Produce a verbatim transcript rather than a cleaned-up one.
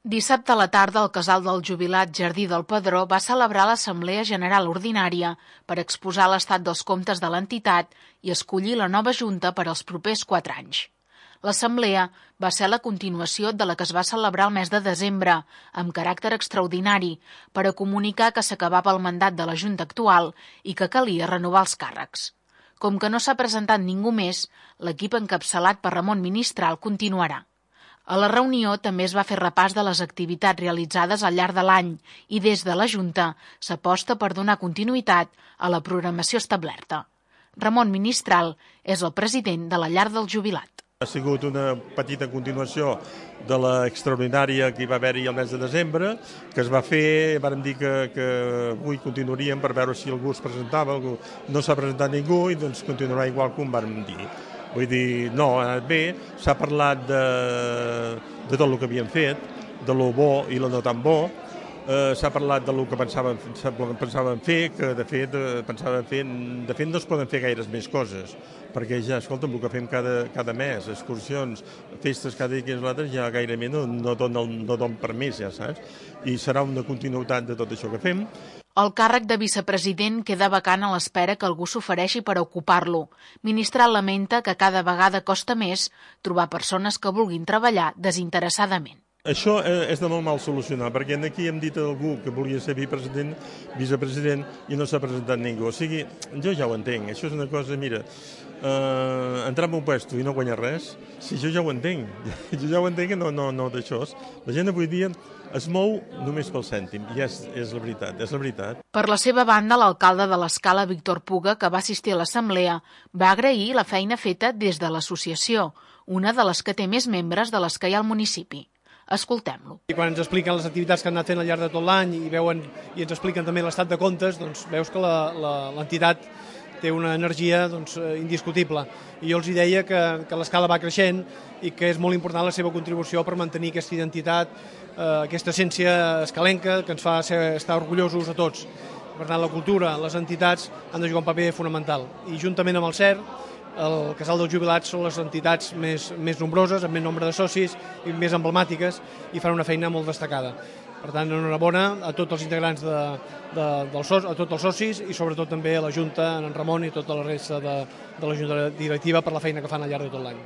Dissabte a la tarda, el casal del jubilat Jardí del Pedró va celebrar l'Assemblea General Ordinària per exposar l'estat dels comptes de l'entitat i escollir la nova junta per als propers quatre anys. L'assemblea va ser la continuació de la que es va celebrar el mes de desembre, amb caràcter extraordinari, per a comunicar que s'acabava el mandat de la junta actual i que calia renovar els càrrecs. Com que no s'ha presentat ningú més, l'equip encapçalat per Ramon Ministral continuarà. A la reunió també es va fer repàs de les activitats realitzades al llarg de l'any i des de la Junta s'aposta per donar continuïtat a la programació establerta. Ramon Ministral és el president de la Llar del Jubilat. Ha sigut una petita continuació de l'extraordinària que hi va haver-hi el mes de desembre, que es va fer, vàrem dir que, que avui continuaríem per veure si algú es presentava, algú no s'ha presentat ningú i doncs continuarà igual com vàrem dir. Vull dir, no, ha anat bé, s'ha parlat de, de tot el que havíem fet, de lo bo i lo no tan bo, eh, s'ha parlat de lo que pensàvem, pensàvem fer, que de fet, pensàvem fer, de fet no es poden fer gaires més coses, perquè ja, escolta'm, el que fem cada, cada mes, excursions, festes cada dia que és l'altre, ja gairebé no, no dona no don per més, ja saps? I serà una continuïtat de tot això que fem. El càrrec de vicepresident queda vacant a l'espera que algú s'ofereixi per ocupar-lo. Ministral lamenta que cada vegada costa més trobar persones que vulguin treballar desinteressadament. Això és de molt mal solucionar, perquè aquí hem dit a algú que volia ser vicepresident, vicepresident i no s'ha presentat ningú. O sigui, jo ja ho entenc, això és una cosa, mira, eh, entrar en un puesto i no guanyar res, sí, jo ja ho entenc, jo ja ho entenc que no, no, no d'això. La gent avui dia es mou només pel cèntim, i és, és la veritat, és la veritat. Per la seva banda, l'alcalde de l'Escala, Víctor Puga, que va assistir a l'assemblea, va agrair la feina feta des de l'associació, una de les que té més membres de les que hi ha al municipi. Escoltem-lo. I quan ens expliquen les activitats que han anat fent al llarg de tot l'any i veuen i ens expliquen també l'estat de comptes, doncs veus que l'entitat té una energia doncs, indiscutible. I jo els deia que, que l'escala va creixent i que és molt important la seva contribució per mantenir aquesta identitat, eh, aquesta essència escalenca que ens fa ser, estar orgullosos a tots. Per tant, la cultura, les entitats han de jugar un paper fonamental. I juntament amb el C E R, el Casal dels Jubilats són les entitats més, més nombroses, amb més nombre de socis i més emblemàtiques i fan una feina molt destacada. Per tant, enhorabona a tots els integrants, de, de, dels, a tots els socis i sobretot també a la Junta, en Ramon i tota la resta de, de la Junta directiva per la feina que fan al llarg de tot l'any.